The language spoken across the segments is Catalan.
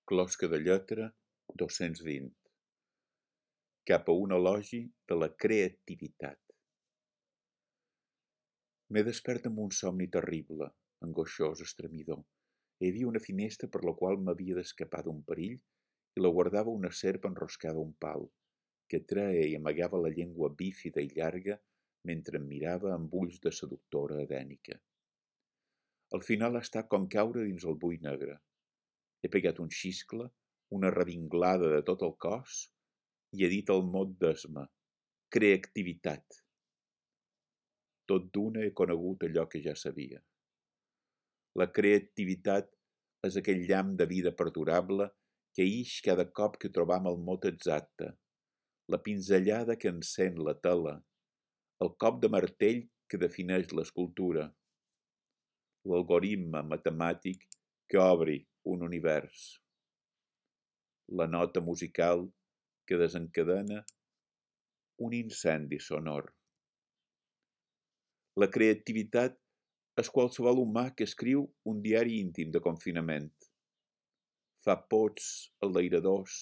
Closca de lletra 220. Cap a un elogi de la creativitat. M'he despert amb un somni terrible, angoixós, estremidor. Hi havia una finestra per la qual m'havia d'escapar d'un perill i la guardava una serp enroscada a un pal, que treia i amagava la llengua bífida i llarga mentre em mirava amb ulls de seductora edènica. Al final ha estat com caure dins el buit negre. He pegat un xiscle, una revinglada de tot el cos i he dit el mot d'esma: creativitat. Tot d'una he conegut allò que ja sabia. La creativitat és aquell llamp de vida perdurable que ix cada cop que trobam el mot exacte, la pinzellada que encén la tela, el cop de martell que defineix l'escultura, l'algoritme matemàtic que obri un univers, la nota musical que desencadena un incendi sonor. La creativitat és qualsevol humà que escriu un diari íntim de confinament. Fa pots enlairadors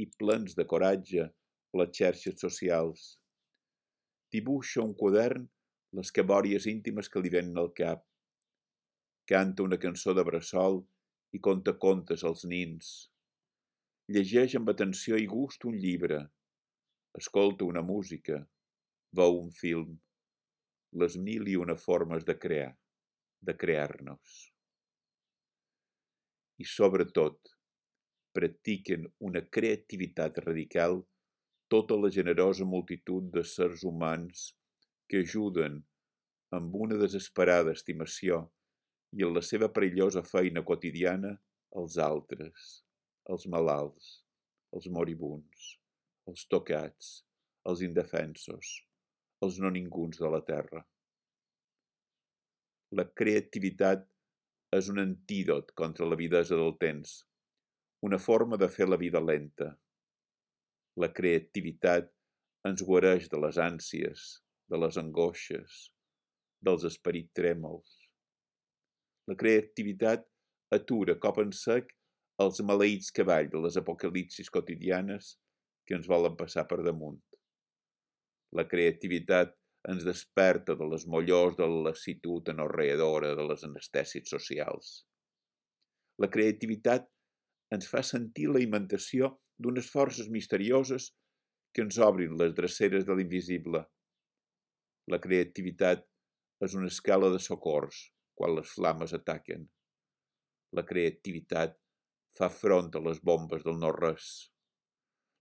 i plens de coratge a les xarxes socials. Dibuixa un quadern les cabòries íntimes que li venen al cap. Canta una cançó de bressol i conta contes als nins. Llegeix amb atenció i gust un llibre. Escolta una música. Veu un film. Les mil i una formes de crear, de crear-nos. I sobretot, practiquen una creativitat radical tota la generosa multitud de sers humans que ajuden amb una desesperada estimació i en la seva perillosa feina quotidiana els altres, els malalts, els moribuns, els tocats, els indefensos, els no ninguns de la terra. La creativitat és un antídot contra l'avidesa del temps, una forma de fer la vida lenta. La creativitat ens guareix de les ànsies, de les angoixes, dels esperits trèmols. La creativitat atura cop en sec els maleïts cavalls de les apocalipsis quotidianes que ens volen passar per damunt. La creativitat ens desperta de les mollors de la lassitud anorreadora de les anestèsies socials. La creativitat ens fa sentir la imitació d'unes forces misterioses que ens obrin les dreceres de l'invisible. La creativitat és una escala de socors quan les flames ataquen. La creativitat fa front a les bombes del no-res.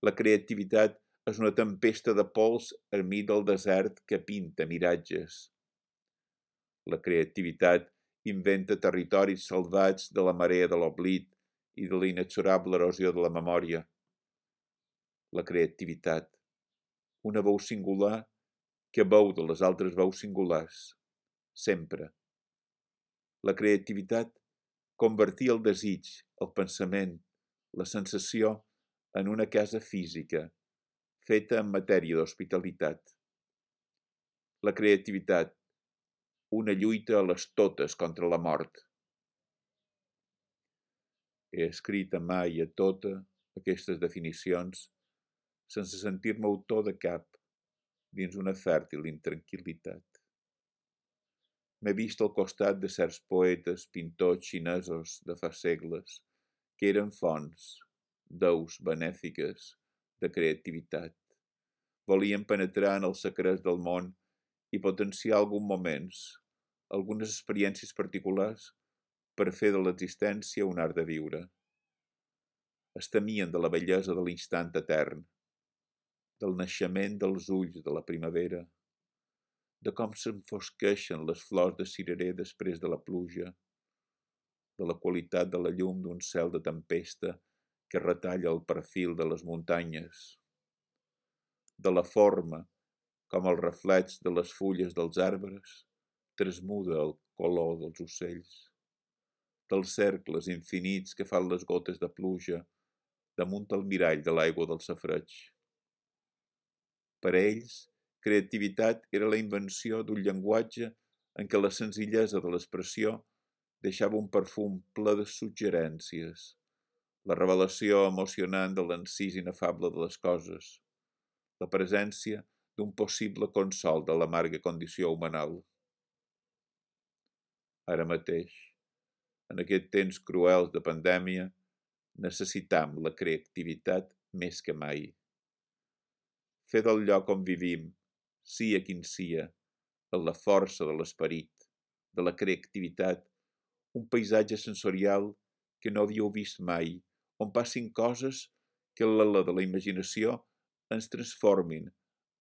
La creativitat és una tempesta de pols enmig del desert que pinta miratges. La creativitat inventa territoris salvats de la marea de l'oblit i de la inexorable erosió de la memòria. La creativitat, una veu singular que veu de les altres veus singulars, sempre. La creativitat convertia el desig, el pensament, la sensació en una casa física, feta en matèria d'hospitalitat. La creativitat, una lluita a les totes contra la mort. He escrit a mà i a tota aquestes definicions sense sentir-me autor de cap, dins una fèrtil intranquil·litat. M'he vist al costat de certs poetes, pintors xinesos de fa segles, que eren fonts, deus benèfiques de creativitat. Volien penetrar en els secrets del món i potenciar alguns moments, algunes experiències particulars per fer de l'existència un art de viure. Es temien de la bellesa de l'instant etern, del naixement dels ulls de la primavera, de com s'enfosqueixen les flors de cirerer després de la pluja, de la qualitat de la llum d'un cel de tempesta que retalla el perfil de les muntanyes, de la forma com el reflex de les fulles dels arbres transmuda el color dels ocells, dels cercles infinits que fan les gotes de pluja damunt el mirall de l'aigua del safareig. Per a ells, creativitat era la invenció d'un llenguatge en què la senzillesa de l'expressió deixava un perfum ple de suggerències, la revelació emocionant de l'encís inefable de les coses, la presència d'un possible consol de l'amarga condició humanal. Ara mateix, en aquests temps cruels de pandèmia, necessitam la creativitat més que mai. Fer del lloc on vivim, sia quin sia, en la força de l'esperit, de la creativitat, un paisatge sensorial que no havíeu vist mai, on passin coses que en l'ala de la imaginació ens transformin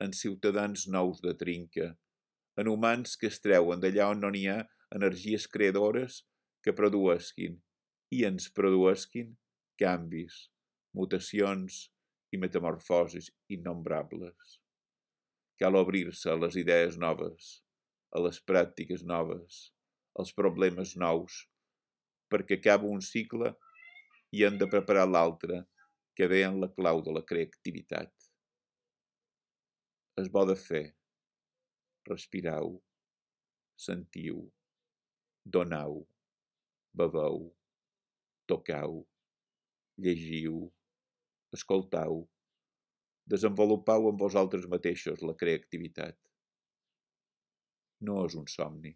en ciutadans nous de trinca, en humans que es treuen d'allà on no n'hi ha energies creadores que produesquin i ens produesquin canvis, mutacions i metamorfosis innombrables. Cal obrir-se a les idees noves, a les pràctiques noves, als problemes nous, perquè acaba un cicle i hem de preparar l'altre, que ve en la clau de la creativitat. És bo de fer. Respirau, sentiu, donau, beveu, tocau, llegiu, escoltau, desenvolupau en vosaltres mateixos la creativitat. No és un somni.